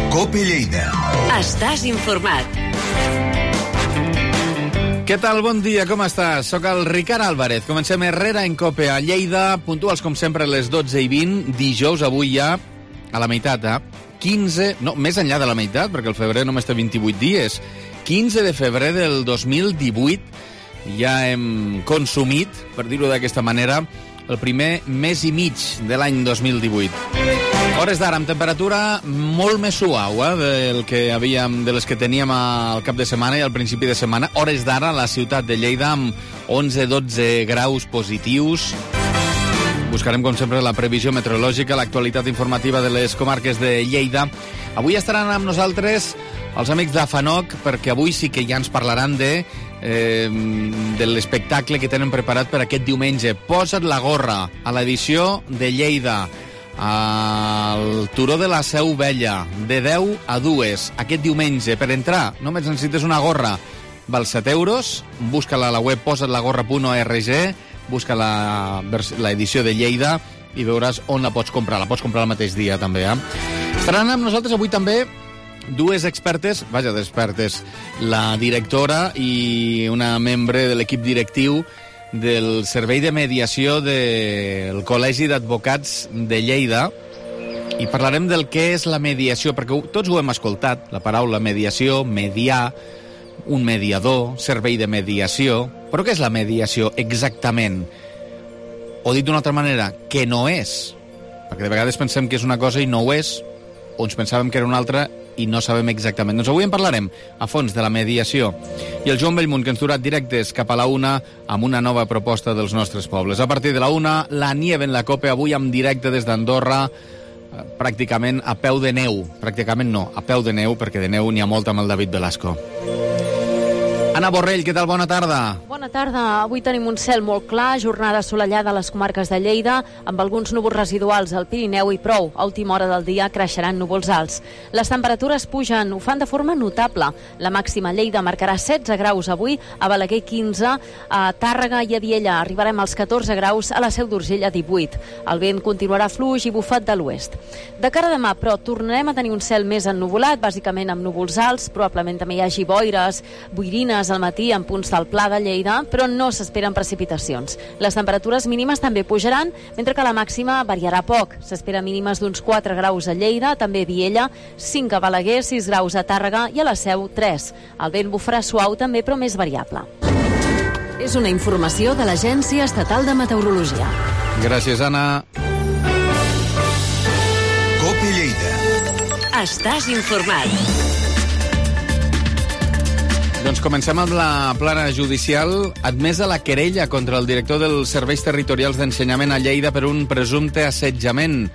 COPE Lleida. Estàs informat. Què tal? Bon dia, com estàs? Soc el Ricard Álvarez. Comencem Herrera en COPE a Lleida, puntuals com sempre a les 12:20, dijous, avui ja a la meitat, 15, no, més enllà de la meitat, perquè el febrer només té 28 dies. 15 de febrer del 2018, ja hem consumit, per dir-ho d'aquesta manera, el primer mes i mig de l'any 2018. Hores d'ara amb temperatura molt més suau de les que teníem al cap de setmana i al principi de setmana. Hores d'ara a la ciutat de Lleida amb 11-12 graus positius. Buscarem, com sempre, la previsió meteorològica, l'actualitat informativa de les comarques de Lleida. Avui estaran amb nosaltres els amics d'Afanoc, perquè avui sí que ja ens parlaran de l'espectacle que tenen preparat per aquest diumenge. Posa't la gorra, a l'edició de Lleida, al Turó de la Seu Vella, de 10 a 2, aquest diumenge. Per entrar només necessites una gorra, val 7 euros, busca-la a la web posatlagorra.org, busca l'edició de Lleida i veuràs on la pots comprar. La pots comprar el mateix dia, també. Estaran amb nosaltres avui també dues expertes, la directora i una membre de l'equip directiu del Servei de Mediació del Col·legi d'Advocats de Lleida, i parlarem del que és la mediació, perquè tots ho hem escoltat, la paraula mediació, mediar, un mediador, servei de mediació. Però què és la mediació exactament? O dit d'una altra manera, què no és? Perquè de vegades pensem que és una cosa i no ho és, o ens pensàvem que era una altra i no sabem exactament. Doncs avui en parlarem a fons de la mediació. I el Joan Bellmunt, que ens durà directes cap a la 1 amb una nova proposta dels nostres pobles. A partir de la 1, la Nieve en la COPE, avui en directe des d'Andorra, pràcticament a peu de neu. Pràcticament no, a peu de neu, perquè de neu n'hi ha molta amb el David Velasco. Anna Borrell, què tal? Bona tarda. Bona tarda. Avui tenim un cel molt clar, jornada assolellada a les comarques de Lleida, amb alguns núvols residuals al Pirineu i prou. A última hora del dia creixeran núvols alts. Les temperatures pugen, ho fan de forma notable. La màxima a Lleida marcarà 16 graus avui, a Balaguer 15, a Tàrrega i a Viella arribarem als 14 graus, a la Seu d'Urgell a 18. El vent continuarà fluix i bufat de l'oest. De cara a demà, però, tornarem a tenir un cel més ennuvolat, bàsicament amb núvols alts, probablement també hi hagi boires, boirines al matí en punts del Pla de Lleida, però no s'esperen precipitacions. Les temperatures mínimes també pujaran, mentre que la màxima variarà poc. S'espera mínimes d'uns 4 graus a Lleida, també a Viella, 5 a Balaguer, 6 graus a Tàrrega i a la Seu 3. El vent bufarà suau també, però més variable. És una informació de l'Agència Estatal de Meteorologia. Gràcies, Anna. COPE Lleida. Estàs informat. Doncs comencem amb la plana judicial. Admesa la querella contra el director dels Serveis Territorials d'Ensenyament a Lleida per un presumpte assetjament.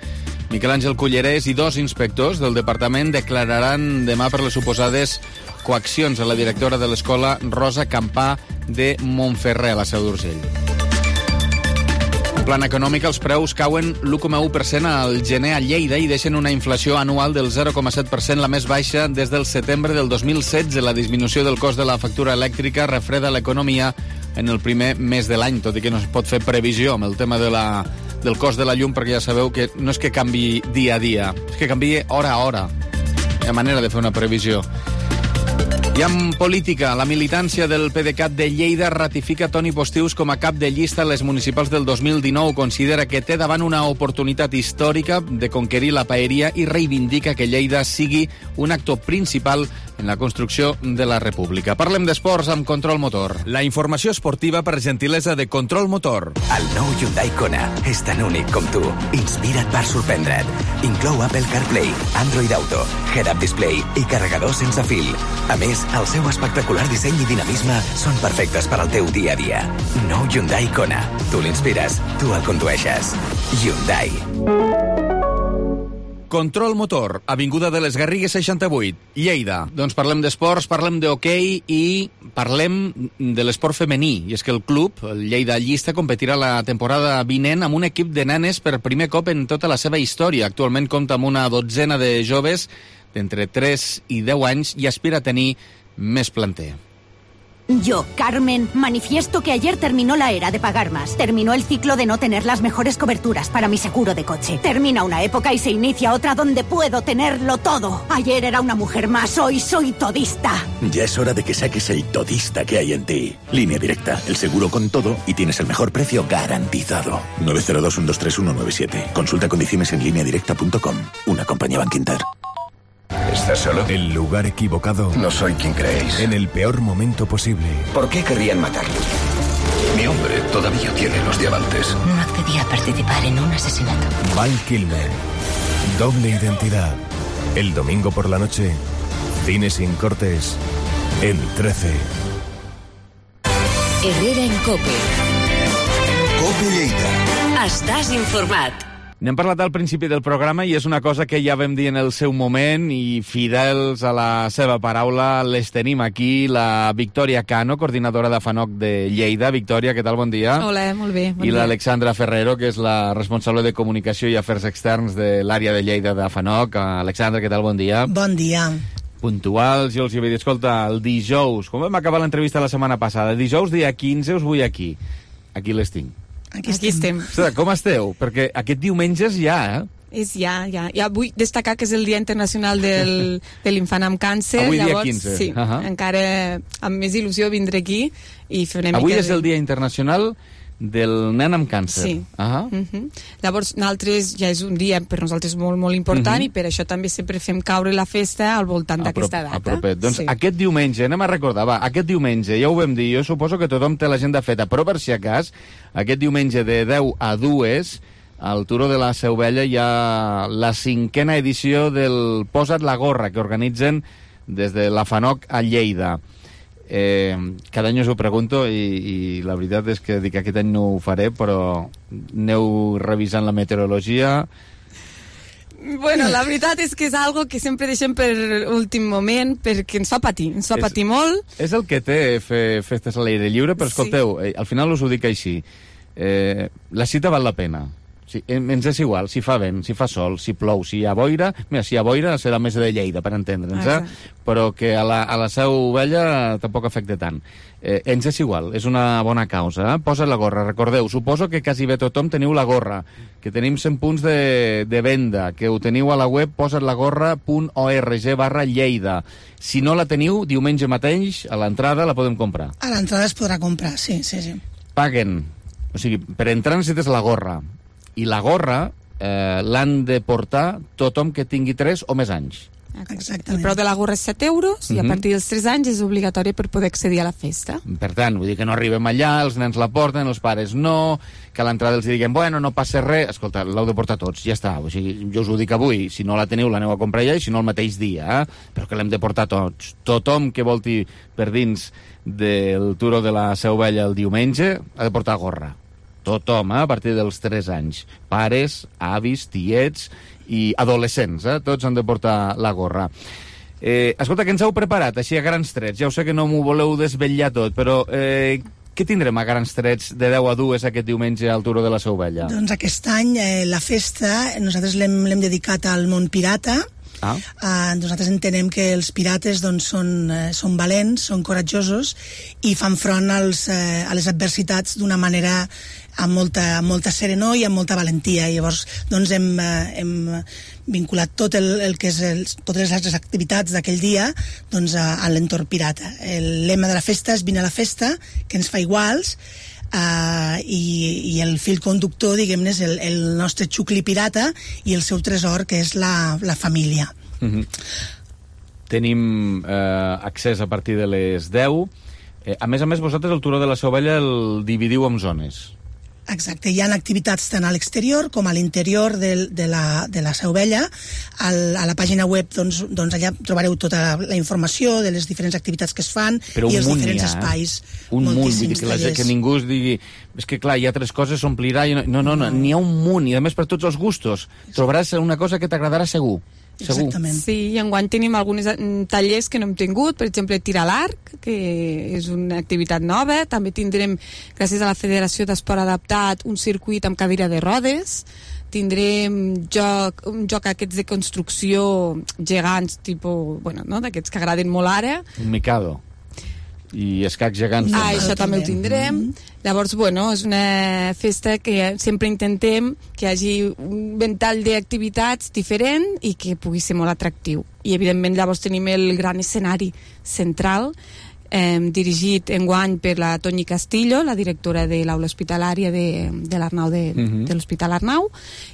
Miquel Àngel Cullerés i 2 inspectors del departament declararan demà per les suposades coaccions a la directora de l'escola Rosa Campà de Montferrer, a la Seu d'Urgell. En plan econòmic, els preus cauen l'1,1% al gener a Lleida i deixen una inflació anual del 0,7%, la més baixa des del setembre del 2016. La disminució del cost de la factura elèctrica refreda l'economia en el primer mes de l'any, tot i que no es pot fer previsió amb el tema del cost de la llum, perquè ja sabeu que no és que canvi dia a dia, és que canvia hora a hora. Hi ha manera de fer una previsió. I en política, la militància del PDeCAT de Lleida ratifica Toni Postius com a cap de llista a les municipals del 2019. Considera que té davant una oportunitat històrica de conquerir la paeria i reivindica que Lleida sigui un actor principal en la construcció de la República. Parlem d'esports amb Control Motor. La informació esportiva per gentilesa de Control Motor. El nou Hyundai Kona és tan únic com tu. Inspira't per sorprendre't. Inclou Apple CarPlay, Android Auto, Head-Up Display i carregador sense fil. A més, el seu espectacular disseny i dinamisme són perfectes per al teu dia a dia. Nou Hyundai Kona. Tu l'inspires, tu el condueixes. Hyundai. Control Motor, Avinguda de les Garrigues 68, Lleida. Doncs parlem d'esports, parlem d'hoquei i parlem de l'esport femení. I és que el club, el Lleida Llista, competirà la temporada vinent amb un equip de nenes per primer cop en tota la seva història. Actualment compta amb una dotzena de joves d'entre 3 i 10 anys i aspira a tenir més planter. Yo, Carmen, manifiesto que ayer terminó la era de pagar más. Terminó el ciclo de no tener las mejores coberturas para mi seguro de coche. Termina una época y se inicia otra donde puedo tenerlo todo. Ayer era una mujer más, hoy soy todista. Ya es hora de que saques el todista que hay en ti. Línea Directa, el seguro con todo y tienes el mejor precio garantizado. 902-123-197. Consulta condiciones en lineadirecta.com. Una compañía Bankinter. ¿Estás solo? El lugar equivocado. No soy quien creéis. En el peor momento posible. ¿Por qué querrían matarlo? Mi hombre todavía tiene los diamantes. No accedí a participar en un asesinato. Val Kilmer. Doble identidad. El domingo por la noche. Cine sin cortes. En 13. Herrera en COPE. COPE Lleida. Estàs informat. N'hem parlat al principi del programa i és una cosa que ja vam dir en el seu moment i fidels a la seva paraula les tenim aquí, la Victòria Cano, coordinadora de FANOC de Lleida. Victòria, què tal? Bon dia. Hola, molt bé. I l'Alexandra Ferrero, que és la responsable de comunicació i afers externs de l'àrea de Lleida de FANOC. Alexandra, què tal? Bon dia. Bon dia. Puntuals, jo els havia dit, escolta, el dijous, com vam acabar l'entrevista la setmana passada, dijous dia 15 us vull aquí. Aquí les tinc. Aquí estem. Ostres, com esteu? Perquè aquest diumenge és ja, És ja. Vull destacar que és el Dia Internacional de l'Infant amb Càncer. Avui llavors, dia 15. Sí, encara amb més il·lusió vindré aquí i fer una mica... Avui és el Dia Internacional del nen amb càncer. Sí. Llavors, nosaltres ja és un dia per nosaltres molt, molt important i per això també sempre fem caure la festa al voltant d'aquesta data. Apropet. Doncs aquest diumenge, anem a recordar, aquest diumenge, ja ho vam dir, jo suposo que tothom té l'agenda feta, però per si acas, aquest diumenge de 10 a 2, al Turó de la Seu Vella hi ha la 5a edició del Posa't la gorra, que organitzen des de la FANOC a Lleida. Cada any us ho pregunto i la veritat és que dic aquest any no ho faré, però aneu revisant la meteorologia. Bueno, la veritat és que és algo que sempre deixem per últim moment perquè ens fa patir molt. És el que té fer festes a l'aire lliure, però escolteu, al final us ho dic així, la cita val la pena. Sí, ens és igual, si fa vent, si fa sol, si plou, si hi ha boira... Mira, si hi ha boira serà més de Lleida, per entendre'ns, però que a la Seu Vella tampoc afecta tant. Ens és igual, és una bona causa. Posa't la gorra, recordeu, suposo que quasi bé tothom teniu la gorra, que tenim 100 punts de venda, que ho teniu a la web posatlagorra.org/Lleida. Si no la teniu, diumenge mateix, a l'entrada la podem comprar. A l'entrada es podrà comprar, sí. Paguen. O sigui, per entrar necessites la gorra. I la gorra l'han de portar tothom que tingui 3 o més anys. Exactament. El preu de la gorra és 7 euros i a partir dels 3 anys és obligatori per poder accedir a la festa. Per tant, vull dir que no arribem allà, els nens la porten, els pares no, que a l'entrada els diguem, bueno, no passa res. Escolta, l'heu de portar tots, ja està. O sigui, jo us ho dic avui, si no la teniu l'aneu a comprar ja i si no el mateix dia, però que l'hem de portar tots. Tothom que volti per dins del Turó de la Seu Vella el diumenge ha de portar gorra. Tothom, a partir dels 3 anys. Pares, avis, tiets i adolescents, tots han de portar la gorra. Escolta, què ens heu preparat, així a grans trets? Ja ho sé que no m'ho voleu desvetllar tot, però què tindrem a grans trets de 10 a 2 aquest diumenge al Turó de la Seu Vella? Doncs aquest any la festa nosaltres l'hem dedicat al món pirata. Nosaltres entenem que els pirates són valents, són coratjosos i fan front a les adversitats d'una manera amb molta serenor i amb molta valentia. I llavors hem vinculat tot el que és totes les altres activitats d'aquell dia a l'entorn pirata. El lema de la festa és vine a la festa, que ens fa iguals, i el fil conductor, diguem-ne, és el nostre xucli pirata i el seu tresor, que és la família. Tenim accés a partir de les 10. A més, vosaltres el Turó de la Seu Vella el dividiu en zones. Exacte, hi ha activitats tant a l'exterior com a l'interior de la Seu Vella. A la pàgina web allà trobareu tota la informació de les diferents activitats que es fan i els diferents espais. Un munt, vull dir que ningú es digui és que clar, hi ha 3 coses, s'omplirà... No, n'hi ha un munt, i a més per tots els gustos. Trobaràs una cosa que t'agradarà segur. Exactament. Sí, i enguany tenim alguns tallers que no hem tingut, per exemple, tirar a l'arc, que és una activitat nova. També tindrem, gràcies a la Federació d'Esport Adaptat, un circuit amb cadira de rodes. Tindrem un joc aquests de construcció gegants, tipus, d'aquests que agraden molt ara. Un Mikado. I escacs gegants. Això també ho tindrem. Llavors, bueno, és una festa que sempre intentem que hi hagi un ventall d'activitats diferent i que pugui ser molt atractiu. I, evidentment, llavors tenim el gran escenari central, dirigit enguany per la Toñi Castillo, la directora de l'aula hospitalària de l'Arnau, de l'Hospital Arnau,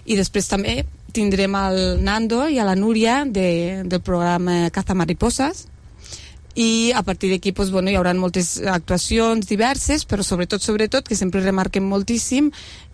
i després també tindrem el Nando i a la Núria del programa Cazamariposas, i a partir d'aquí doncs, bueno, hi haurà moltes actuacions diverses, però sobretot, que sempre remarquem moltíssim,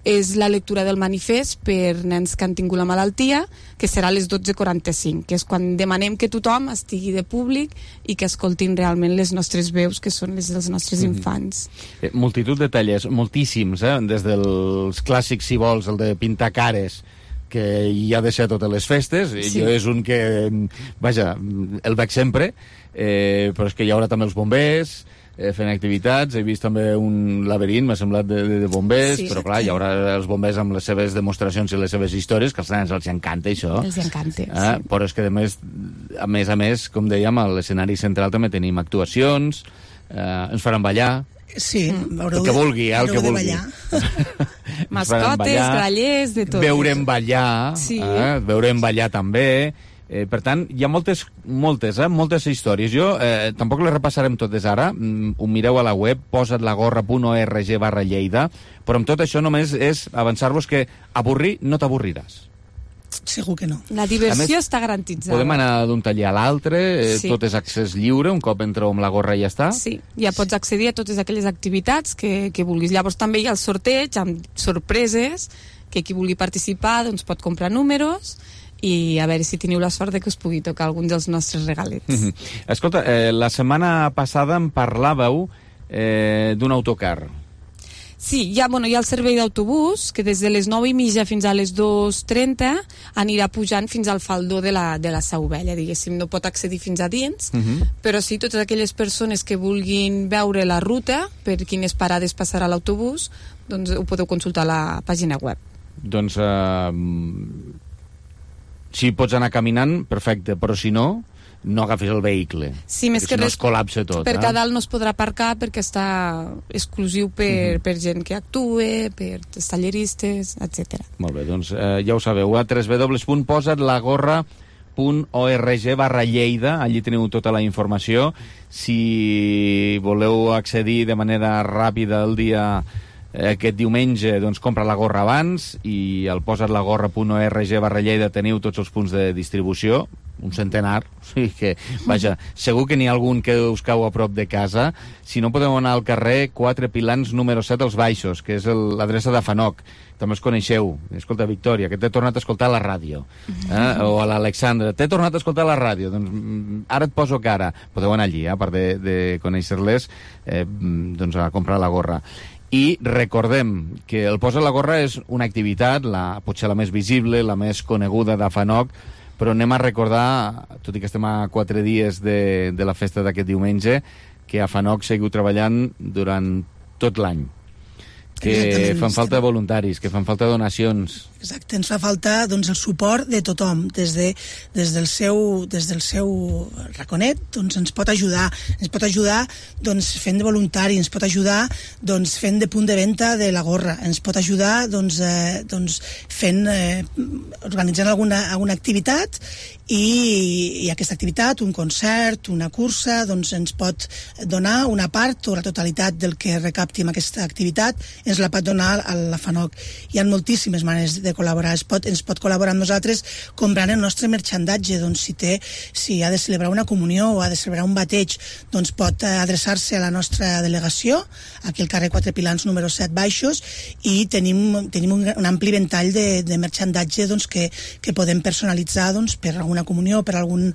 és la lectura del manifest per nens que han tingut la malaltia, que serà a les 12:45, que és quan demanem que tothom estigui de públic i que escoltin realment les nostres veus, que són les dels nostres infants. Multitud de tallers, moltíssims, des dels clàssics, si vols, el de pintar cares, que hi ha de ser a totes les festes, sí. Jo és un que, vaja, el veig sempre, però és que hi haurà també els bombers fent activitats, he vist també un laberint, m'ha semblat, de bombers, sí, però clar, hi haurà els bombers amb les seves demostracions i les seves històries, que als nens els encanta això. Els encanta, sí. Però és que a més, com dèiem, a l'escenari central també tenim actuacions, ens faran ballar, sí, el que vulgui, el que vulgui. Mascotes, grallers, de tot. Veurem ballar, sí. Veurem ballar també. Per tant, hi ha moltes històries. Jo tampoc les repassarem totes ara, ho mireu a la web, posatlagorra.org/Lleida, però amb tot això només és avançar-vos que avorrir no t'avorriràs. Segur que no. La diversió està garantitzada. Podem anar d'un taller a l'altre, sí. Tot és accés lliure, un cop entreu amb la gorra i ja està. Sí, ja pots accedir a totes aquelles activitats que vulguis. Llavors també hi ha el sorteig amb sorpreses, que qui vulgui participar doncs pot comprar números i a veure si teniu la sort de que us pugui tocar algun dels nostres regalets. Escolta, la setmana passada em parlàveu d'un autocar. Sí, hi ha el servei d'autobús, que des de les 9:30 fins a les 2:30 anirà pujant fins al faldó de la Seu Vella, diguéssim. No pot accedir fins a dins, però sí, totes aquelles persones que vulguin veure la ruta, per quines parades passarà l'autobús, doncs ho podeu consultar a la pàgina web. Doncs, si pots anar caminant, perfecte, però si no agafis el vehicle. Sí, més que res, no es col·lapse tot. Perquè a dalt no es podrà aparcar perquè està exclusiu per gent que actua, per talleristes, etc. Molt bé, doncs ja ho sabeu, a www.posatlagorra.org/Lleida, allí teniu tota la informació. Si voleu accedir de manera ràpida el dia aquest diumenge, doncs compra la gorra abans, i al posatlagorra.org/Lleida teniu tots els punts de distribució, un centenar, o sigui que, vaja, segur que n'hi ha algun que us cau a prop de casa. Si no, podeu anar al carrer 4 Pilans número 7 als Baixos, que és l'adreça de Fanoc. També els coneixeu. Escolta, Victòria, que t'he tornat a escoltar a la ràdio. O a l'Alexandra, t'he tornat a escoltar a la ràdio. Doncs ara et poso cara. Podeu anar allí, a part de conèixer-les, doncs a comprar la gorra. I recordem que el Posa la Gorra és una activitat, potser la més visible, la més coneguda de Fanoc, però anem a recordar, tot i que estem a 4 dies de la festa d'aquest diumenge, que a Fanoc seguiu treballant durant tot l'any, que fan falta voluntaris, que fan falta donacions. Exacte, ens fa falta doncs, el suport de tothom, des del seu raconet, doncs ens pot ajudar doncs, fent de voluntari, ens pot ajudar doncs, fent de punt de venda de la gorra, ens pot ajudar doncs, organitzant alguna activitat, i aquesta activitat, un concert, una cursa, doncs ens pot donar una part o la totalitat del que recapti amb aquesta activitat, ens la pot donar a la Fanoc. Hi ha moltíssimes maneres de col·laborar. Ens pot col·laborar amb nosaltres comprant el nostre merchandatge. Doncs si ha de celebrar una comunió o ha de celebrar un bateig, doncs pot adreçar-se a la nostra delegació, aquí al carrer 4 Pilans número 7 Baixos, i tenim un ampli ventall de merchandatge doncs, que podem personalitzar doncs, per alguna comunió, per algun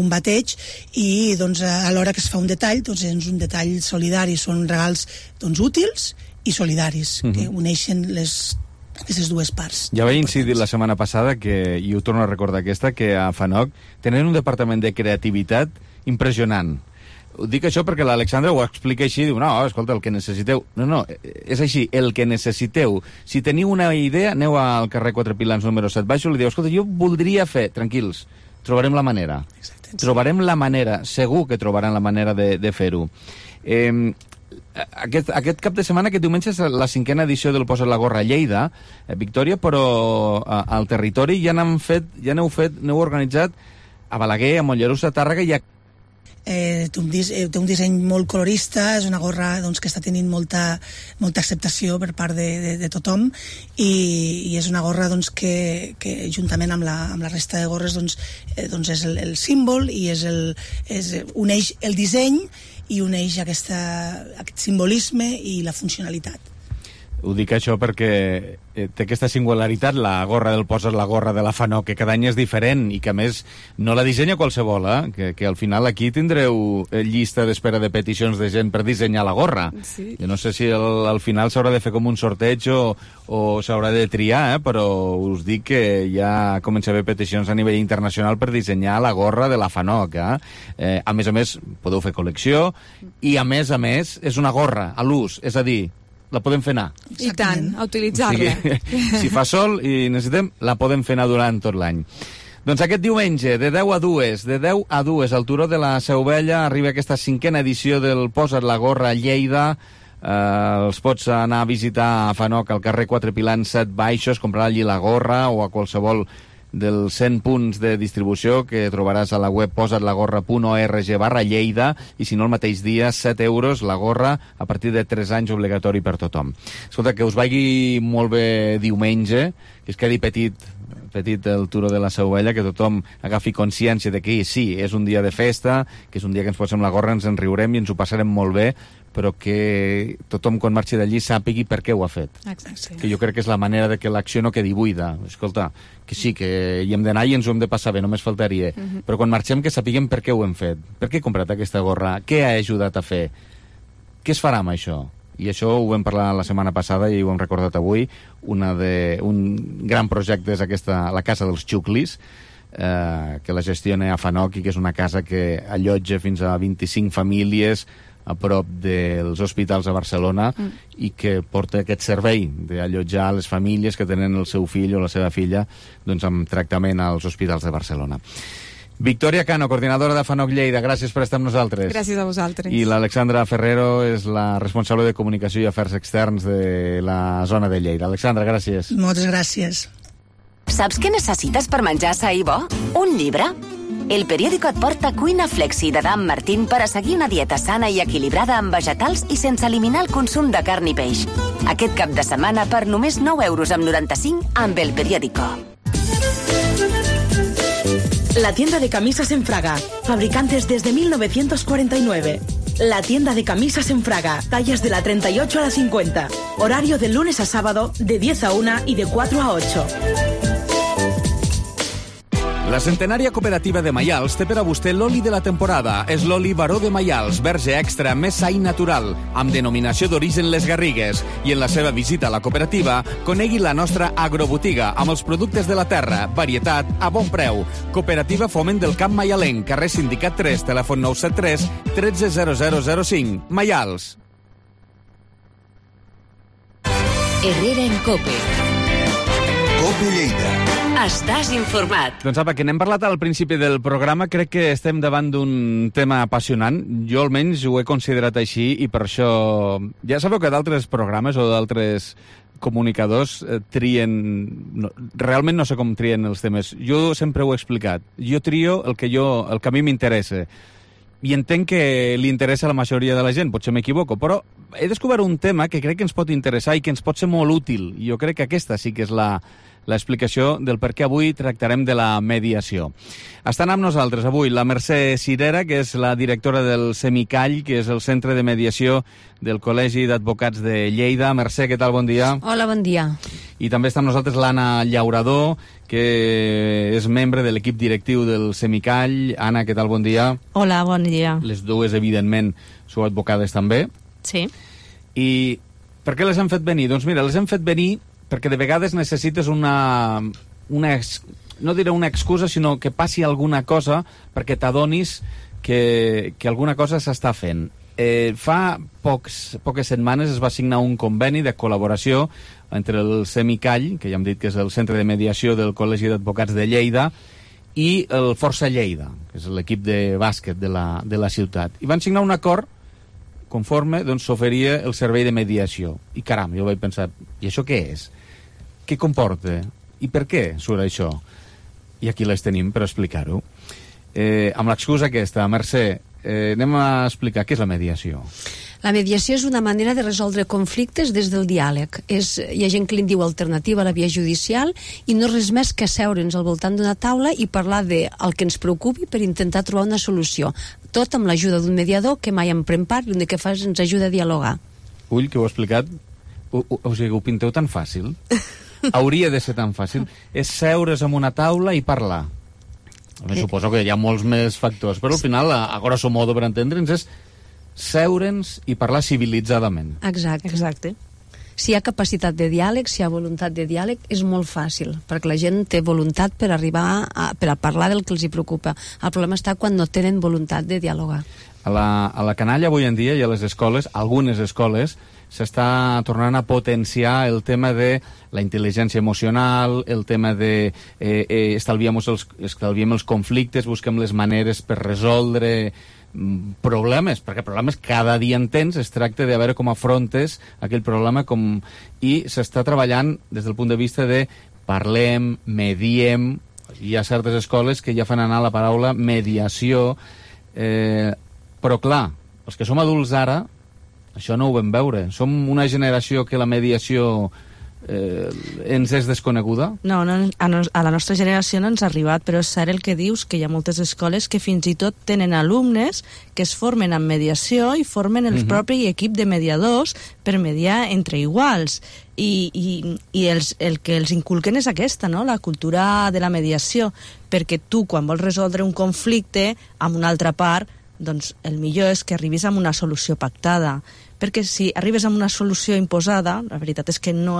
bateig, i doncs, a l'hora que es fa un detall, doncs, és un detall solidari, són regals doncs, útils i solidaris, que uneixen aquestes dues parts. Ja vaig incidir la setmana passada, i ho torno a recordar que a Fanoc tenen un departament de creativitat impressionant. Dic això perquè l'Alexandra ho explica així, diu, no, escolta, el que necessiteu... No, és així, el que necessiteu. Si teniu una idea, aneu al carrer 4 Pilans número 7 Baixos, li diu, escolta, jo voldria fer... Tranquils, trobarem la manera. Exacte. Trobarem la manera, segur que trobaran la manera de fer-ho. Aquest cap de setmana, aquest diumenge, és la 5a edició del Posa't la gorra a Lleida, Victòria, però al territori ja n'heu organitzat a Balaguer, a Mollerussa, a Tàrrega i a... Té un disseny molt colorista, és una gorra que està tenint molta acceptació per part de tothom i és una gorra que juntament amb la resta de gorres és el símbol i uneix el disseny i uneix aquest simbolisme i la funcionalitat. Ho dic això perquè té aquesta singularitat, la gorra del Posa't la gorra de la FANOC, que cada any és diferent i que a més no la dissenya qualsevol, que al final aquí tindreu llista d'espera de peticions de gent per dissenyar la gorra. Sí. Jo no sé si al final s'haurà de fer com un sorteig o s'haurà de triar, però us dic que ja comença a haver peticions a nivell internacional per dissenyar la gorra de la FANOC. A més, podeu fer col·lecció i a més, és una gorra a l'ús, és a dir, la podem fer anar. I tant, a utilitzar-la. O sigui, si fa sol i necessitem, la podem fer anar durant tot l'any. Doncs aquest diumenge, de 10 a 2, al Turó de la Seu Vella, arriba aquesta 5a edició del Posa't la gorra a Lleida. Els pots anar a visitar a FANOC al carrer 4 Pilans 7 Baixos, comprar allí la gorra o a qualsevol dels 100 punts de distribució que trobaràs a la web posatlaGorra.org/Lleida i si no el mateix dia 7 euros la gorra a partir de 3 anys obligatori per tothom. Escolta, que us vagi molt bé diumenge, que es quedi petit el Turó de la Seu Vella, que tothom agafi consciència de que sí, és un dia de festa, que és un dia que ens posem la gorra, ens en riurem i ens ho passarem molt bé, però que tothom quan marxi d'allí sàpigui per què ho ha fet. Exacte. Que jo crec que és la manera de que l'acció no quedi buida. Escolta, que sí, que hi hem d'anar i ens ho hem de passar bé, només faltaria. Però quan marxem que sapiguem per què ho hem fet. Per què he comprat aquesta gorra? Què ha ajudat a fer? Què es farà amb això? I això ho vam parlar la setmana passada i ho hem recordat avui. Un gran projecte és la Casa dels Xuclis, que la gestiona a FANOC i que és una casa que allotja fins a 25 famílies a prop dels hospitals a Barcelona i que porta aquest servei d'allotjar les famílies que tenen el seu fill o la seva filla amb tractament als hospitals de Barcelona. Victòria Cano, coordinadora de FANOC Lleida, gràcies per estar amb nosaltres. Gràcies a vosaltres. I l'Alexandra Ferrero és la responsable de Comunicació i Afers Externs de la zona de Lleida. Alexandra, gràcies. Moltes gràcies. Saps què necessites per menjar sa i bo? Un llibre? El periòdico et porta Cuina Flexi de Dan Martín per a seguir una dieta sana i equilibrada amb vegetals i sense eliminar el consum de carn i peix. Aquest cap de setmana per només 9,95 € amb el periòdico. La tienda de camisas en Fraga, fabricantes desde 1949. La tienda de camisas en Fraga, tallas de la 38 a la 50. Horario de lunes a sábado, de 10 a 1 y de 4 a 8. La centenària cooperativa de Maials té per a vostè l'oli de la temporada. És l'oli Baró de Maials, verge extra, més sa i natural, amb denominació d'origen Les Garrigues. I en la seva visita a la cooperativa, conegui la nostra agrobotiga, amb els productes de la terra, varietat a bon preu. Cooperativa Foment del Camp Maialenc, carrer Sindicat 3, telèfon 973 130005. Maials. Herrera en Cope. Cope Lleida. Estàs informat. Doncs apa, que n'hem parlat al principi del programa, crec que estem davant d'un tema apassionant. Jo almenys ho he considerat així i per això... Ja sabeu que d'altres programes o d'altres comunicadors trien... Realment no sé com trien els temes. Jo sempre ho he explicat. Jo trio el que a mi m'interessa. I entenc que li interessa a la majoria de la gent, potser m'equivoco, però he descobert un tema que crec que ens pot interessar i que ens pot ser molt útil. Jo crec que aquesta sí que és l'explicació del per què avui tractarem de la mediació. Estan amb nosaltres avui la Mercè Cirera, que és la directora del Semicall, que és el centre de mediació del Col·legi d'Advocats de Lleida. Mercè, què tal? Bon dia. Hola, bon dia. I també està amb nosaltres l'Anna Llaurador, que és membre de l'equip directiu del Semicall. Anna, què tal? Bon dia. Hola, bon dia. Les dues, evidentment, sou advocades també. Sí. I per què les hem fet venir? Doncs mira, les hem fet venir perquè de vegades necessites no diré una excusa, sinó que passi alguna cosa perquè t'adonis que alguna cosa s'està fent. Fa poques setmanes es va signar un conveni de col·laboració entre el Semicall, que ja hem dit que és el centre de mediació del Col·legi d'Advocats de Lleida, i el Força Lleida, que és l'equip de bàsquet de la ciutat. I van signar un acord conforme, doncs s'oferia el servei de mediació. I caram, jo vaig pensar, i això què és? Què comporta? I per què surt això? I aquí les tenim per explicar-ho. Amb l'excusa aquesta, Mercè, anem a explicar què és la mediació. La mediació és una manera de resoldre conflictes des del diàleg. Hi ha gent que li diu alternativa a la via judicial i no res més que asseure'ns al voltant d'una taula i parlar del que ens preocupi per intentar trobar una solució. Tot amb l'ajuda d'un mediador que mai en pren part i l'únic que fa és ens ajuda a dialogar. Ull, que ho he explicat, o sigui, ho pinteu tan fàcil. Hauria de ser tan fàcil. És seure's en una taula i parlar. Suposo que hi ha molts més factors, però al final, a grosso modo, per entendre'ns, és seure'ns i parlar civilitzadament. Exacte. Si hi ha capacitat de diàleg, si hi ha voluntat de diàleg, és molt fàcil, perquè la gent té voluntat per arribar per a parlar del que els hi preocupa. El problema està quan no tenen voluntat de dialogar. A la canalla avui en dia i a les escoles, algunes escoles, s'està tornant a potenciar el tema de la intel·ligència emocional, el tema de estalviem els conflictes, busquem les maneres per resoldre problemes, perquè problemes cada dia en tens, es tracta de veure com afrontes aquell problema i s'està treballant des del punt de vista de parlem, mediem. Hi ha certes escoles que ja fan anar la paraula mediació, però clar, els que som adults ara això no ho vam veure. Som una generació que la mediació ens és desconeguda? No, a la nostra generació no ens ha arribat, però és cert el que dius, que hi ha moltes escoles que fins i tot tenen alumnes que es formen en mediació i formen el propi equip de mediadors per mediar entre iguals. I el que els inculquen és aquesta, no? La cultura de la mediació, perquè tu, quan vols resoldre un conflicte amb una altra part, doncs el millor és que arribis a una solució pactada, perquè si arribes a una solució imposada, la veritat és que no...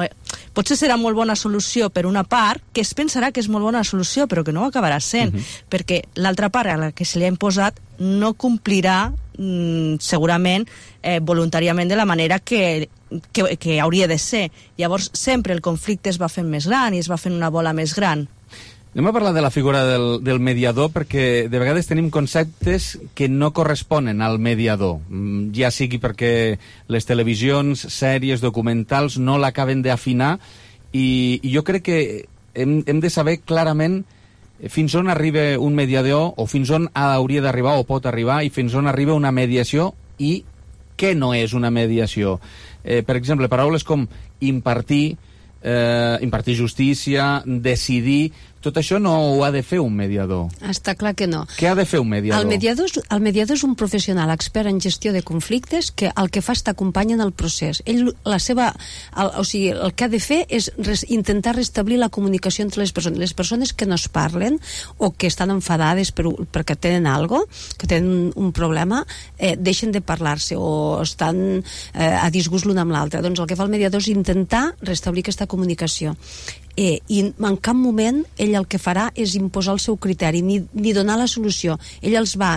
Potser serà molt bona solució per una part, que es pensarà que és molt bona solució, però que no ho acabarà sent, perquè l'altra part a la que se li ha imposat no complirà segurament voluntàriament de la manera que hauria de ser. Llavors sempre el conflicte es va fent més gran i es va fent una bola més gran. Anem a parlar de la figura del mediador, perquè de vegades tenim conceptes que no corresponen al mediador, ja sigui perquè les televisions, sèries, documentals no l'acaben d'afinar, i jo crec que hem de saber clarament fins on arriba un mediador, o fins on hauria d'arribar o pot arribar, i fins on arriba una mediació i què no és una mediació. Per exemple, paraules com impartir justícia, decidir, tot això no ho ha de fer un mediador. Està clar que no. Què ha de fer un mediador? El mediador és un professional expert en gestió de conflictes que el que fa és t'acompanya en el procés. El que ha de fer és intentar restablir la comunicació entre les persones. Les persones que no es parlen o que estan enfadades perquè tenen algo, que tenen un problema, deixen de parlar-se o estan a disgust l'un amb l'altre. Doncs el que fa el mediador és intentar restablir aquesta comunicació. I en cap moment ell el que farà és imposar el seu criteri ni donar la solució. Ell els va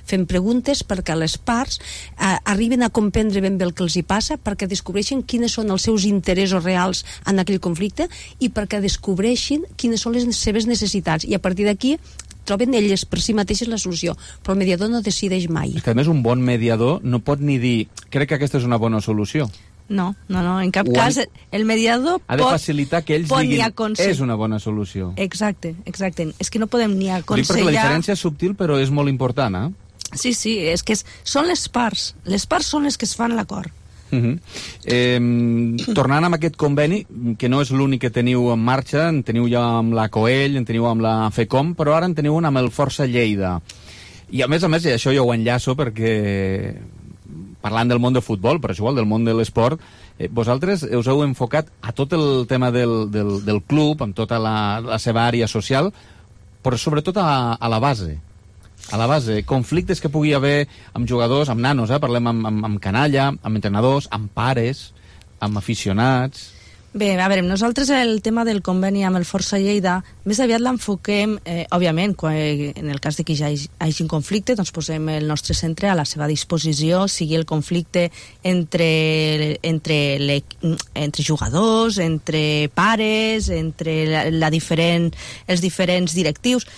fent preguntes perquè les parts arriben a comprendre ben bé el que els hi passa, perquè descobreixin quines són els seus interessos reals en aquell conflicte i perquè descobreixin quines són les seves necessitats, i a partir d'aquí troben elles per si mateixes la solució, però el mediador no decideix mai. És que a més un bon mediador no pot ni dir crec que aquesta és una bona solució. No, en cap cas el mediador ha de facilitar que ells diguin és una bona solució. Exacte. És que no podem ni aconsellar... Dic perquè la diferència és subtil però és molt important, Sí, és que són les parts. Les parts són les que es fan l'acord. Tornant amb aquest conveni, que no és l'únic que teniu en marxa, en teniu ja amb la COEL, en teniu amb la FECOM, però ara en teniu un amb el Força Lleida. I a més, i això jo ho enllaço perquè... parlant del món del futbol, però és igual, del món de l'esport, vosaltres us heu enfocat a tot el tema del club, amb tota la seva àrea social, però sobretot a la base. A la base, conflictes que pugui haver amb jugadors, amb nanos, parlem amb canalla, amb entrenadors, amb pares, amb aficionats... Bé, a veure, nosaltres el tema del conveni amb el Força Lleida més aviat l'enfoquem, òbviament, en el cas de que ja hi hagi un conflicte, doncs posem el nostre centre a la seva disposició, sigui el conflicte entre jugadors, entre pares, entre els diferents directius.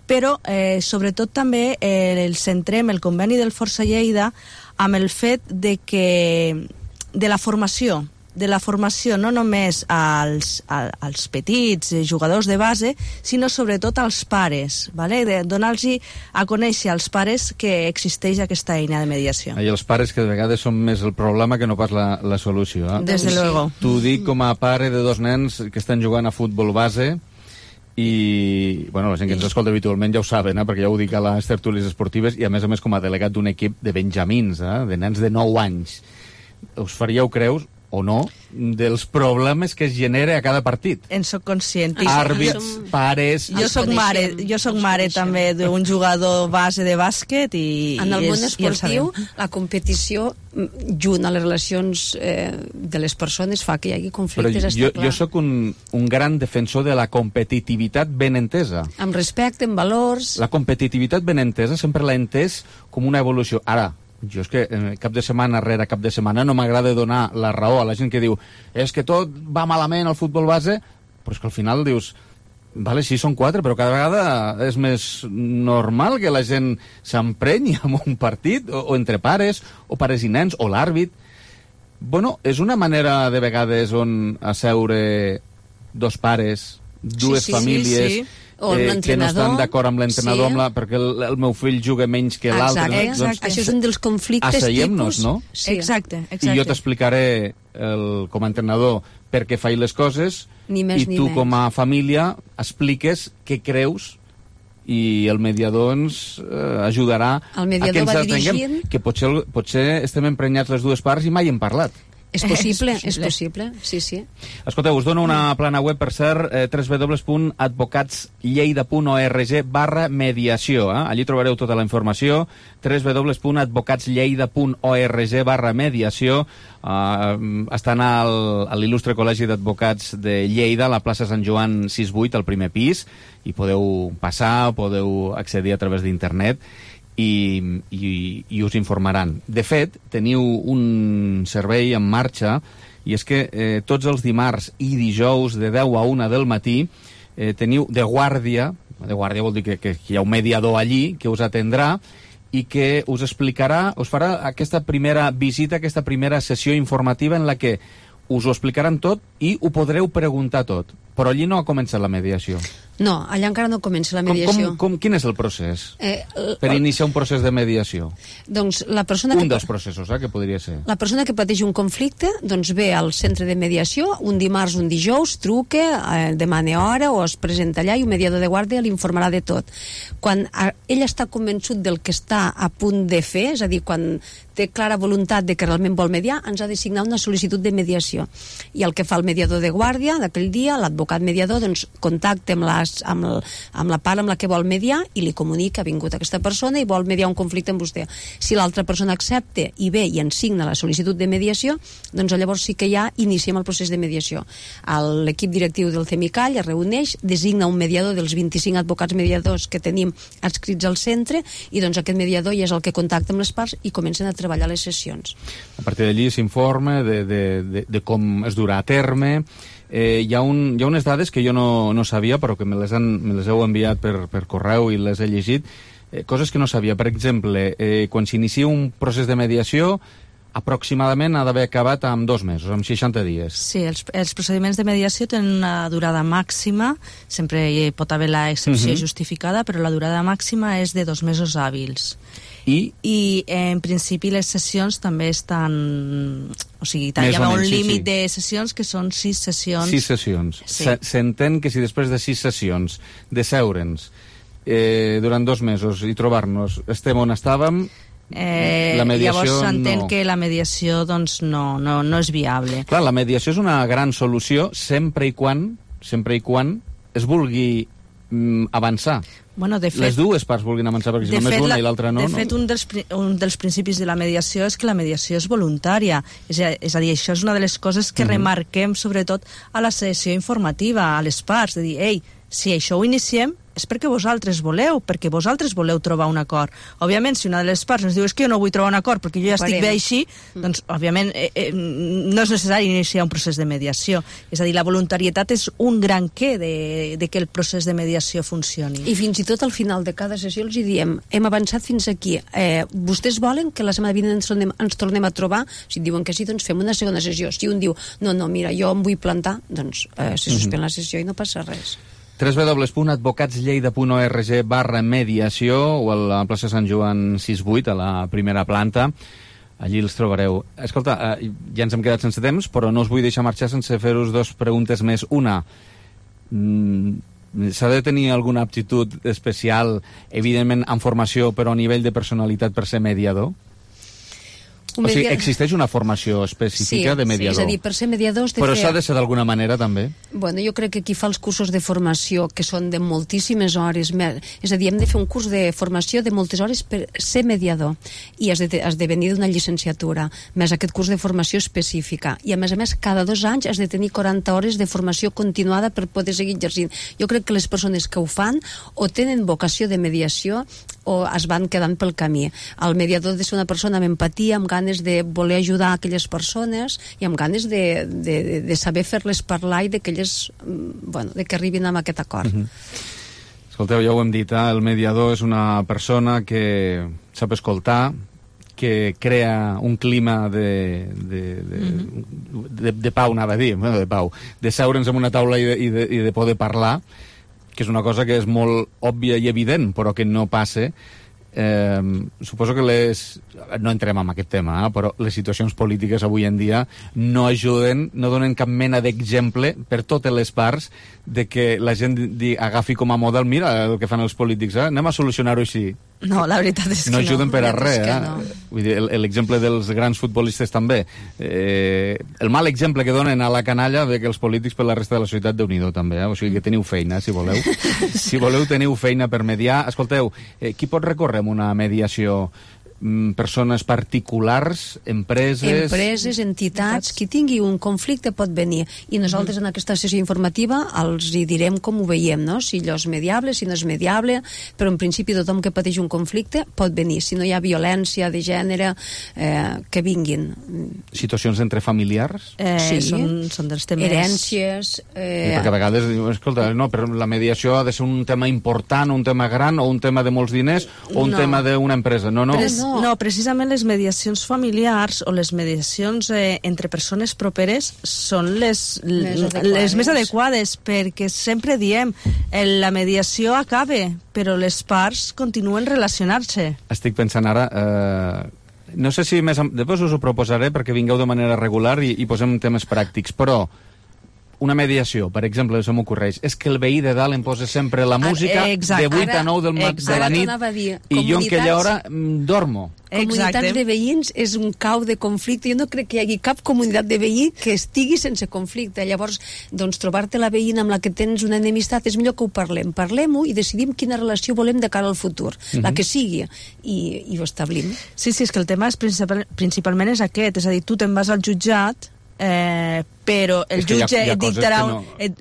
però sobretot també el centrem el conveni del Força Lleida amb el fet de la formació, no només als petits jugadors de base, sinó sobretot als pares, ¿vale? De donar-los a conèixer als pares que existeix aquesta eina de mediació. I els pares, que de vegades són més el problema que no pas la solució. Desde luego. T'ho dic com a pare de 2 nens que estan jugant a futbol base i, bueno, la gent que ens escolta habitualment ja ho saben, perquè ja ho dic a les tertúlies esportives, i a més com a delegat d'un equip de benjamins, de nens de 9 anys. Us faríeu creus o no, dels problemes que es genera a cada partit. En soc conscient. Àrbits, pares... Jo soc mare també d'un jugador base de bàsquet i... En el món esportiu, la competició junt a les relacions de les persones fa que hi hagi conflictes, està clar. Jo sóc un gran defensor de la competitivitat ben entesa. Amb respecte, amb valors... La competitivitat ben entesa sempre l'he entès com una evolució. Ara, jo és que cap de setmana rere cap de setmana no m'agrada donar la raó a la gent que diu és que tot va malament al futbol base, però és que al final dius vale, sí, són 4, però cada vegada és més normal que la gent s'emprenyi amb un partit, o entre pares, o pares i nens, o l'àrbit. Bueno, és una manera de vegades on asseure 2 pares, dues famílies... que no estan d'acord amb l'entrenador, perquè el meu fill juga menys que l'altre. Exacte. Això és un dels conflictes tipus... no? Sí. Exacte. I jo t'explicaré com a entrenador per què faig les coses i tu com a família expliques què creus i el mediador ens ajudarà a que ens atenguem, que potser estem emprenyats les dues parts i mai hem parlat. És possible, sí. Escolteu, us dono una plana web, per cert, www.advocatslleida.org/mediació. Allí trobareu tota la informació, www.advocatslleida.org/mediació. Estan a l'il·lustre Col·legi d'Advocats de Lleida, a la plaça Sant Joan 6-8, al primer pis, i podeu passar, podeu accedir a través d'internet i us informaran. De fet, teniu un servei en marxa, i és que tots els dimarts i dijous de 10 a 1 del matí teniu de guàrdia vol dir que hi ha un mediador allí que us atendrà i que us explicarà, us farà aquesta primera visita, aquesta primera sessió informativa en la que us ho explicaran tot i ho podreu preguntar tot. Però allí no ha començat la mediació. No, allà encara no comença la mediació. Quin és el procés per iniciar un procés de mediació? Doncs la persona dels processos, que podria ser. La persona que pateix un conflicte doncs ve al centre de mediació un dimarts, un dijous, truca, demana hora o es presenta allà i un mediador de guàrdia l'informarà de tot. Quan ell està convençut del que està a punt de fer, és a dir, quan té clara voluntat de que realment vol mediar, ens ha de signar una sol·licitud de mediació. I el que fa el mediador de guàrdia d'aquell dia, l'advocat mediador, doncs contacta amb la part amb la que vol mediar i li comunica, ha vingut aquesta persona i vol mediar un conflicte amb vostè. Si l'altra persona accepta i ve i ens signa la sol·licitud de mediació, doncs llavors sí que ja iniciem el procés de mediació. L'equip directiu del CEMICAL es reuneix, designa un mediador dels 25 advocats mediadors que tenim adscrits al centre i doncs aquest mediador ja és el que contacta amb les parts i comencen a treballar les sessions. A partir d'allí s'informa de com es durà a terme. Hi ha unes dades que jo no sabia, però que me les heu enviat per correu i les he llegit, coses que no sabia. Per exemple, quan s'inicia un procés de mediació, aproximadament ha d'haver acabat amb 2 mesos, amb 60 dies. Sí, els procediments de mediació tenen una durada màxima, sempre hi pot haver l'excepció justificada, però la durada màxima és de 2 mesos hàbils. I en principi les sessions també estan... O sigui, hi ha un límit de sessions que són 6 sessions. 6 sessions. S'entén que si després de 6 sessions de seure'ns durant 2 mesos i trobar-nos estem on estàvem, la mediació llavors s'entén que la mediació doncs, no és viable. Clar, la mediació és una gran solució sempre i quan es vulgui avançar. Bueno, de fet, les dues parts vulguin avançar, perquè si només una i l'altra no... De fet, un dels principis de la mediació és que la mediació és voluntària. És a dir, això és una de les coses que remarquem, sobretot, a la sessió informativa, a les parts, de dir, ei, si això ho iniciem és perquè vosaltres voleu trobar un acord. Òbviament, si una de les parts ens diu que jo no vull trobar un acord perquè jo ja estic bé així, doncs, òbviament, no és necessari iniciar un procés de mediació. És a dir, la voluntarietat és un gran què de que el procés de mediació funcioni. I fins i tot al final de cada sessió els diem, hem avançat fins aquí, vostès volen que la setmana vinent ens tornem a trobar? Si diuen que sí, doncs fem una segona sessió. Si un diu, no, mira, jo em vull plantar, doncs se suspèn la sessió i no passa res. www.advocatslleida.org/mediació o a la plaça Sant Joan 6-8, a la primera planta. Allí els trobareu. Escolta, ja ens hem quedat sense temps, però no us vull deixar marxar sense fer-vos dos preguntes més. Una, s'ha de tenir alguna aptitud especial, evidentment en formació, però a nivell de personalitat per ser mediador? O sigui, existeix una formació específica de mediador? Sí, és a dir, per ser mediador... Però s'ha de ser d'alguna manera, també? Bueno, jo crec que qui fa els cursos de formació, que són de moltíssimes hores, és a dir, hem de fer un curs de formació de moltes hores per ser mediador, i has de venir d'una llicenciatura, més aquest curs de formació específica, i a més, cada 2 anys has de tenir 40 hores de formació continuada per poder seguir exercint. Jo crec que les persones que ho fan o tenen vocació de mediació o es van quedant pel camí. El mediador ha de ser una persona amb empatia, amb ganes de voler ajudar aquelles persones i amb ganes de saber fer-les parlar i de que elles, de que arribin a aquest acord. Escolteu, ja ho hem dit, el mediador és una persona que sap escoltar, que crea un clima de pau, anava a dir, de pau, de seure'ns en una taula i de poder parlar, que és una cosa que és molt òbvia i evident, però que no passa. Suposo que no entrem en aquest tema, però les situacions polítiques avui en dia no ajuden, no donen cap mena d'exemple per totes les parts de que la gent agafi com a model, mira el que fan els polítics, anem a solucionar-ho així. No, la veritat és que no ajuden per a res, Vull dir, l'exemple dels grans futbolistes també. El mal exemple que donen a la canalla de que els polítics per la resta de la societat, Déu-n'hi-do també, o sigui que teniu feina, si voleu. Si voleu, teniu feina per mediar. Escolteu, qui pot recórrer amb una mediació? Persones particulars, empreses, entitats, qui tingui un conflicte pot venir, i nosaltres en aquesta sessió informativa els hi direm com ho veiem, no? Si allò és mediable, si no és mediable, però en principi tothom que pateix un conflicte pot venir, si no hi ha violència de gènere, que vinguin. Situacions entre familiars? Sí, són dels temes... Herències... Perquè a vegades diuen, escolta, no, però la mediació ha de ser un tema important, un tema gran, o un tema de molts diners, o un tema d'una empresa. No, precisament les mediacions familiars o les mediacions entre persones properes són les més adequades, perquè sempre diem la mediació acaba, però les parts continuen relacionant-se. Estic pensant ara... no sé si després us ho proposaré perquè vingueu de manera regular i posem temes pràctics, però una mediació, per exemple, se m'ocorreix, és que el veí de dalt em posa sempre la música de 8 a 9 de la nit i jo en aquella hora dormo. Comunitats de veïns és un cau de conflicte. Jo no crec que hi hagi cap comunitat de veí que estigui sense conflicte. Llavors, doncs, trobar-te la veïna amb la que tens una enemistat és millor que ho parlem. Parlem-ho i decidim quina relació volem de cara al futur. La que sigui. I ho establim. Sí, és que el tema principalment és aquest. És a dir, tu te'n vas al jutjat, però el jutge et dictarà...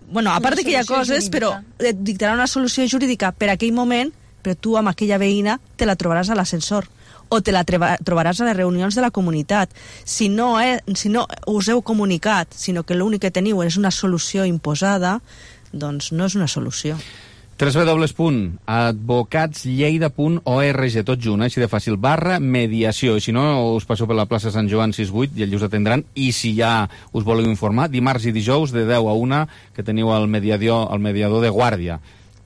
Bueno, a part que hi ha coses, però et dictarà una solució jurídica per aquell moment, però tu amb aquella veïna te la trobaràs a l'ascensor o te la trobaràs a les reunions de la comunitat. Si no us heu comunicat, sinó que l'únic que teniu és una solució imposada, doncs no és una solució. www.advocatslleida.org, tot junt, així de fàcil, /mediació. I si no, us passeu per la plaça Sant Joan 6-8 i allí us atendran. I si ja us voleu informar, dimarts i dijous de 10 a 1 que teniu el mediador de guàrdia.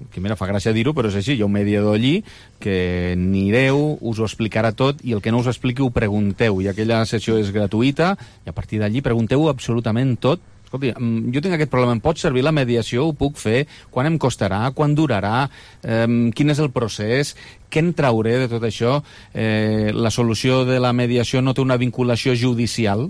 Que mira, fa gràcia dir-ho, però és així, hi ha un mediador allí que anireu, us ho explicarà tot i el que no us expliqui ho pregunteu i aquella sessió és gratuïta i a partir d'allí pregunteu absolutament tot. Escolti, jo tinc aquest problema, em pot servir la mediació, ho puc fer, quan em costarà, quan durarà, quin és el procés, què en trauré de tot això? La solució de la mediació no té una vinculació judicial?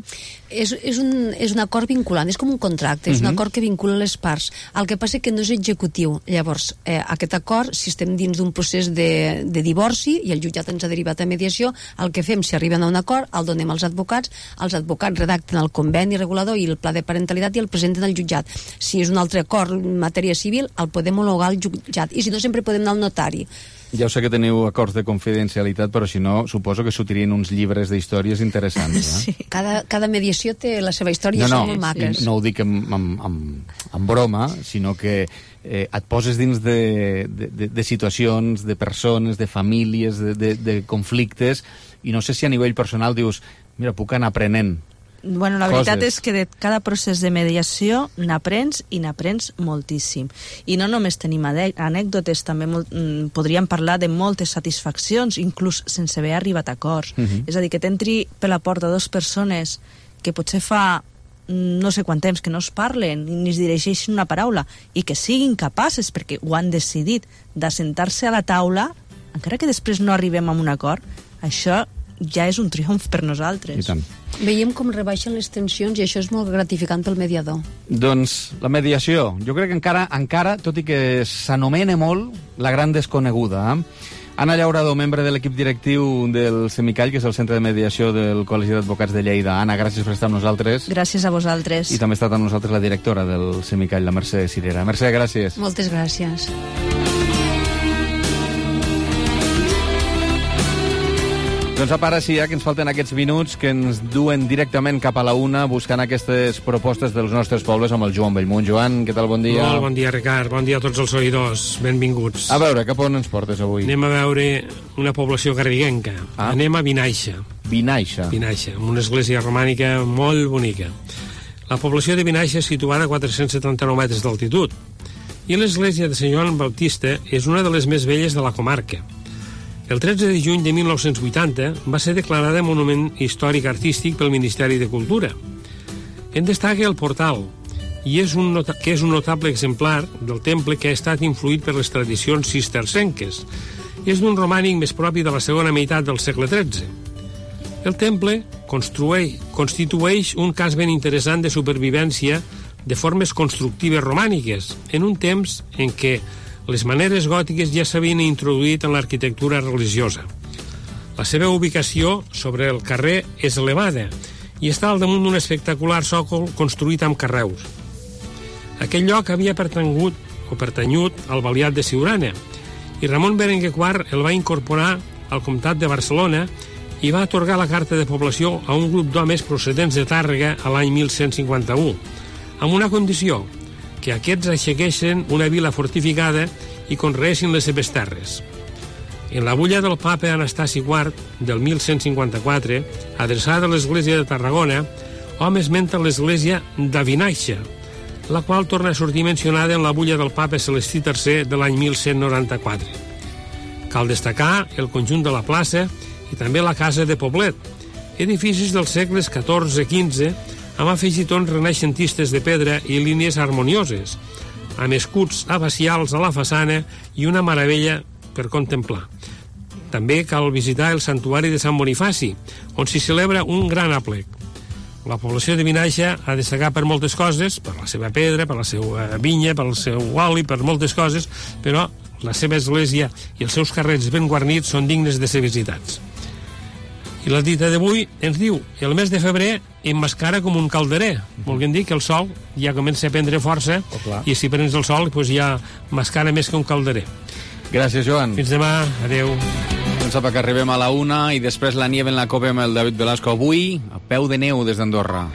És un acord vinculant, és com un contracte, és un acord que vincula les parts. El que passa que no és executiu. Llavors, aquest acord, si estem dins d'un procés de divorci i el jutjat ens ha derivat a mediació, el que fem, si arriben a un acord, el donem als advocats redacten el conveni regulador i el pla de parentalitat i el presenten al jutjat. Si és un altre acord en matèria civil, el podem homologar al jutjat, i si no, sempre podem anar al notari. Ja ho sé que teniu acords de confidencialitat, però si no, suposo que sortirien uns llibres d'històries interessants. Sí. Cada mediació té la seva història i són molt maques. No ho dic en broma, sinó que et poses dins de situacions, de persones, de famílies, de conflictes, i no sé si a nivell personal dius, mira, puc anar aprenent. Bueno, la veritat és que de cada procés de mediació n'aprens i n'aprens moltíssim. I no només tenim anècdotes, també podríem parlar de moltes satisfaccions, inclús sense haver arribat a acords. És a dir, que t'entri per la porta dues persones que potser fa no sé quant temps que no es parlen ni es dirigeixen una paraula i que siguin capaces, perquè ho han decidit, d'assentar-se a la taula, encara que després no arribem a un acord, això ja és un triomf per nosaltres. I tant. Veiem com rebaixen les tensions i això és molt gratificant pel mediador. Doncs la mediació, jo crec que encara, tot i que s'anomena molt, la gran desconeguda. Anna Llaurador, membre de l'equip directiu del Semicall, que és el centre de mediació del Col·legi d'Advocats de Lleida. Anna, gràcies per estar amb nosaltres. Gràcies a vosaltres. I també ha estat amb nosaltres la directora del Semicall, la Mercè Cirera. Mercè, gràcies. Moltes gràcies. Doncs apa, ara sí, que ens falten aquests minuts que ens duen directament cap a la una buscant aquestes propostes dels nostres pobles amb el Joan Bellmunt. Joan, què tal? Bon dia. Molt bon dia, Ricard. Bon dia a tots els oïdors. Benvinguts. A veure, cap on ens portes avui? Anem a veure una població garriguenca. Anem a Vinaixa. Vinaixa, amb una església romànica molt bonica. La població de Vinaixa és situada a 479 metres d'altitud i l'església de Sant Joan Baptista és una de les més velles de la comarca. El 13 de juny de 1980 va ser declarada Monument Històric Artístic pel Ministeri de Cultura. En destaca el portal, que és un notable exemplar del temple que ha estat influït per les tradicions cistercenques. És d'un romànic més propi de la segona meitat del segle XIII. El temple constitueix un cas ben interessant de supervivència de formes constructives romàniques, en un temps en què les maneres gòtiques ja s'havien introduït en l'arquitectura religiosa. La seva ubicació sobre el carrer és elevada i està al damunt d'un espectacular sòcol construït amb carreus. Aquell lloc havia pertanyut al Baliat de Siurana i Ramon Berenguer IV el va incorporar al comtat de Barcelona i va atorgar la carta de població a un grup d'homes procedents de Tàrrega a l'any 1151, amb una condició, que aquests aixequessin una vila fortificada i conreessin les seves terres. En la bulla del papa Anastasi IV del 1154, adreçada a l'església de Tarragona, hom esmenta l'església d'Avinaixa, la qual torna a sortir mencionada en la bulla del papa Celestí III de l'any 1194. Cal destacar el conjunt de la plaça i també la casa de Poblet, edificis dels segles XIV i XV, amb afegitons renaixentistes de pedra i línies harmonioses, amb escuts abacials a la façana i una meravella per contemplar. També cal visitar el santuari de Sant Bonifaci, on s'hi celebra un gran aplec. La població de Vinaixa ha de destacar per moltes coses, per la seva pedra, per la seva vinya, per el seu oli, per moltes coses, però la seva església i els seus carrers ben guarnits són dignes de ser visitats. I la dita d'avui ens diu: el mes de febrer emmascara com un calderer. Volguem dir que el sol ja comença a prendre força i si prens el sol doncs ja mascara més que un calderer. Gràcies, Joan. Fins demà. Adéu. Doncs apa, que arribem a la una i després la nieve en la copa amb el David Velasco. Avui, a peu de neu des d'Andorra.